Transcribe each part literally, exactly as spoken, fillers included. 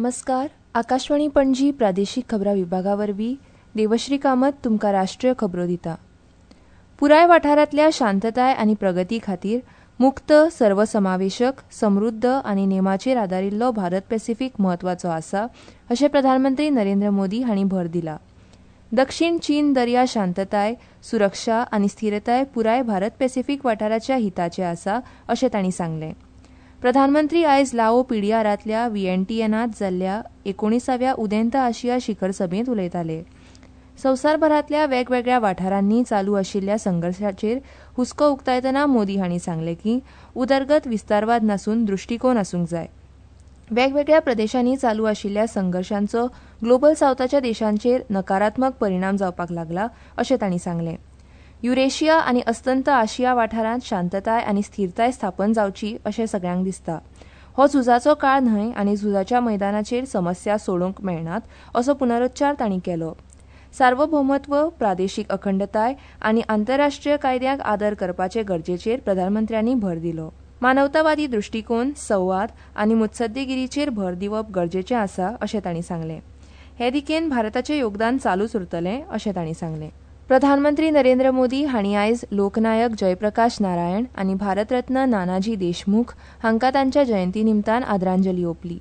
नमस्कार. आकाशवाणी पणजी प्रादेशीक खबरां विभागा वरवीं देवश्री कामत तुमकां राष्ट्रीय खबरो दिता. पुराय वाठारांतल्या शांतताय आनी प्रगती खातीर मुक्त, सर्वसमावेशक, समृद्ध आनी नेमाचेर आदारिल्लो भारत पॅसिफीक म्हत्वाचो आसा अशें प्रधानमंत्री नरेंद्र मोदी हांणी भर दिला. दक्षिण चीन दर्या शांतताय, सुरक्षा आनी स्थिरताय पुराय भारत पॅसिफीक वाठाराच्या हिताचे आसा अशें तांणी सांगलें. प्रधानमंत्री आयज लाओ पीडीआरांतल्या व्हीएनटीएनांत जाल्ल्या एकोणिसाव्या उदेंत आशिया शिखर सभेंत उलयताले. संवसारभरांतल्या वेगवेगळ्या वाठारांनी चालू आशिल्ल्या संघर्शाचेर हुस्को उक्तायतना मोदी हांणी सांगलें की उदरगत विस्तारवाद नासून दृश्टीकोन आसूंक जाय. वेगवेगळ्या प्रदेशांनी चालू आशिल्ल्या संघर्शांचो ग्लोबल सावथाच्या देशांचेर नकारात्मक परिणाम जावपाक लागला अशें तांणी सांगलें. युरेशिया आनी अस्तंत आशिया वाठारांत शांतताय आनी स्थिरताय स्थापन जावची अशें सगल्यांक दिसता. हो झुजाचो काळ न्हय आनी झुजाच्या मैदानाचेर समस्या सोडोवंक मेळनात असो पुनरुच्चार तांणी केलो. सार्वभौमत्व, प्रादेशीक अखंडताय आनी आंतरराष्ट्रीय कायद्यांक आदर करपाचे गरजेचेर प्रधानमंत्र्यांनी भर दिलो. मानवतावादी दृश्टीकोन, संवाद आनी मुत्सद्देगिरीचेर भर दिवप गरजेचें आसा अशें तांणी सांगलें. हे दिकेन भारताचें योगदान चालूच उरतलें अशें तांणी सांगलें. प्रधानमंत्री नरेंद्र मोदी हांणी आयज लोकनायक जयप्रकाश नारायण आनी भारतरत्न नानाजी देशमुख हांकां तांच्या जयंती निमतान आदरांजली ओंपली.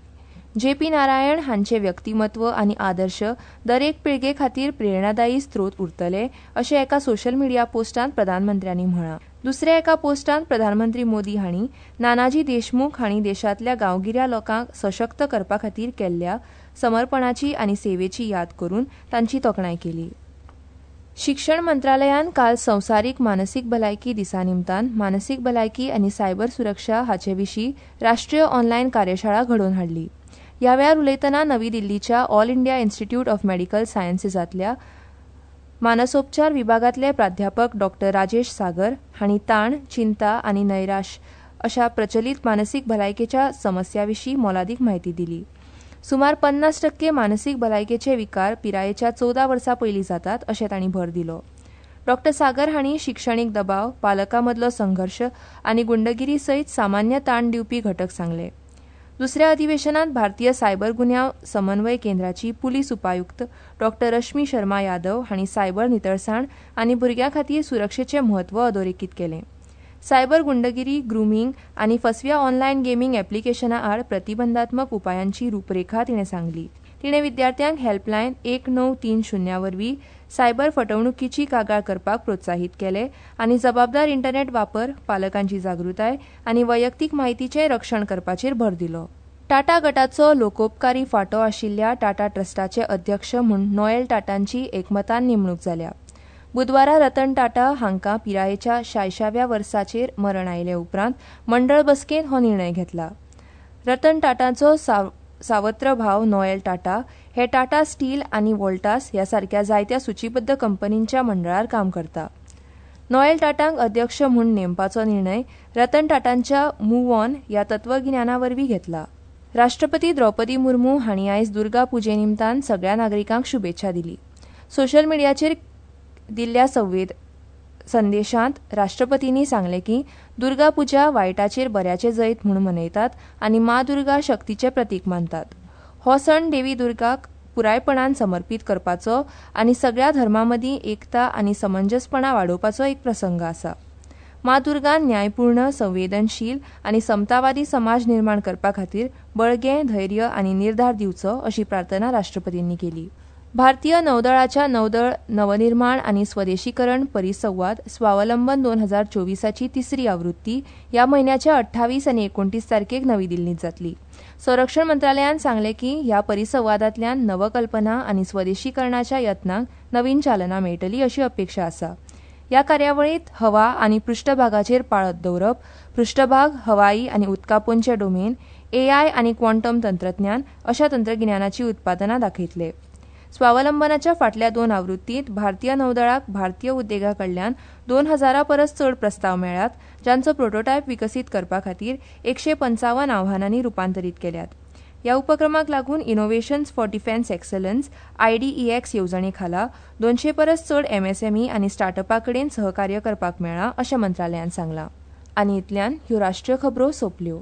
जे पी नारायण हांचे व्यक्तिमत्व आनी आदर्श दरेक पिळगे खातीर प्रेरणादायी स्रोत उरतले अशें एका सोशल मिडिया पोस्टांत प्रधानमंत्र्यांनी म्हळां. दुसऱ्या एका पोस्टांत प्रधानमंत्री मोदी हांणी नानाजी देशमुख हांणी देशांतल्या गांवगिऱ्या लोकांक सशक्त करपा खातीर केल्ल्या समर्पणाची आनी सेवेची याद करून तांची तोखणाय केली. शिक्षण मंत्रालयान काल संवसारीक मानसीक भलायकी दिसा निमतान मानसीक भलायकी आनी सायबर सुरक्षा हाचे विशीं राष्ट्रीय ऑनलायन कार्यशाळा घडोवन हाडली. ह्या वेळार उलयतना नवी दिल्लीच्या All India Institute of Medical सायन्सेसांतल्या मानसोपचार विभागांतले प्राध्यापक डॉ राजेश सागर हांणी ताण, चिंता आनी नैराश्य अशा प्रचलीत मानसीक भलायकेच्या समस्या विशीं मोलादीक म्हायती दिली. सुमार पन्नास टक्के मानसीक भलायकेचे विकार पिरायेच्या चवदा वर्सां पयलीं जातात अशें तांणी भर दिलो. डॉ सागर हांणी शिक्षणीक दबाव, पालकां मदलो संघर्श आनी गुंडगिरी सयत सामान्य ताण दिवपी घटक सांगले. दुसऱ्या अधिवेशनात भारतीय सायबर गुन्यांव समन्वय केंद्राची पुलीस उपायुक्त डॉ रश्मी शर्मा यादव हांणी सायबर नितळसाण आनी भुरग्यां खातीर सुरक्षेचें म्हत्व अधोरेखीत केलें. सायबर गुंडगिरी, ग्रुमींग आनी फसव्या ऑनलायन गेमींग एप्लिकेशना आड प्रतिबंधात्मक उपायांची रूपरेखा तिणें सांगली. तिणें विद्यार्थ्यांक हेल्पलायन एक णव तीन शुन्या वरवीं सायबर फटवणुकीची कागाळ करपाक प्रोत्साहीत केले आनी जबाबदार इंटरनेट वापर, पालकांची जागृताय आनी वैयक्तीक म्हायतीचें रक्षण करपाचेर भर दिलो. टाटा गटाचो लोकोपकारी फांटो आशिल्ल्या टाटा ट्रस्टाचे अध्यक्ष म्हूण नोएल टाटांची एकमतान नेमणूक जाल्या. बुधवारा रतन टाटा हांकां पिरायेच्या शायशाव्या वर्साचेर मरण आयले उपरांत मंडळ बसकेंत हो निर्णय घेतला. रतन टाटाचो सावत्र भाव नोएल टाटा हे टाटा स्टील आनी वोल्टास ह्या सारक्या जायत्या सूचीबद्ध कंपनींच्या मंडळार काम करता. नोएल टाटांक अध्यक्ष म्हूण नेमपाचो निर्णय रतन टाटांच्या मूव ऑन ह्या तत्वगिन्याना वरवीं घेतला. राष्ट्रपती द्रौपदी मुर्मू हांणी आयज दुर्गा पुजे निमतान सगळ्या नागरिकांक शुभेच्छा दिली. सोशल मिडियाचेर दिल्ल्या संवेद संदेशांत राष्ट्रपतींनी सांगलें की दुर्गा पुजा वायटाचेर बऱ्याचें जैत म्हूण मनयतात आनी मां दुर्गा शक्तीचें प्रतीक मानतात. हो सण देवी दुर्गाक पुरायपणान समर्पीत करपाचो आनी सगळ्या धर्मां मदीं एकता आनी समंजसपणा वाडोवपाचो एक प्रसंग आसा. मां दुर्गान न्यायपूर्ण, संवेदनशील आनी समतावादी समाज निर्माण करपा खातीर बळगें, धैर्य आनी निर्धार दिवचो अशी प्रार्थना राष्ट्रपतींनी केली. भारतीय नौदळाच्या नौदळ नवनिर्माण आनी स्वदेशीकरण परिसंवाद स्वावलंबन दोन हजार चोवीसाची तिसरी आवृत्ती ह्या म्हयन्याच्या अठ्ठावीस आनी एकोणतीस तारखेक नवी दिल्लींत जातली. संरक्षण मंत्रालयान सांगलें की ह्या परिसंवादांतल्यान नवकल्पना आनी स्वदेशीकरणाच्या यत्नांक नवीन चालना मेळटली अशी अपेक्षा आसा. ह्या कार्यावळींत हवा आनी पृष्ठभागाचेर पाळत दवरप, पृष्ठभाग, हवाई आनी उदकापोंचे डोमेन, एआय आनी क्वांटम तंत्रज्ञान अशा तंत्रगिन्यानाची उत्पादनां दाखयतले. स्वावलंबनाच्या फाटल्या दोन आवृत्तींत भारतीय नौदळाक भारतीय उद्देगा कडल्यान दोन हजारां परस चड प्रस्ताव मेळ्ळ्यात, जांचो प्रोटोटायप विकसीत करपा खातीर एकशे पंचावन्न आव्हानांनी रुपांतरीत केल्यात. ह्या उपक्रमाक लागून innovations for defence excellence I D E X येवजणे खाला दोनशे परस चड एमएसएमई आनी स्टार्टअपा कडेन सहकार्य करपाक मेळ्ळां अशें मंत्रालयान सांगलां. आनी इतल्यान ह्यो राष्ट्रीय खबरो सोंपल्यो.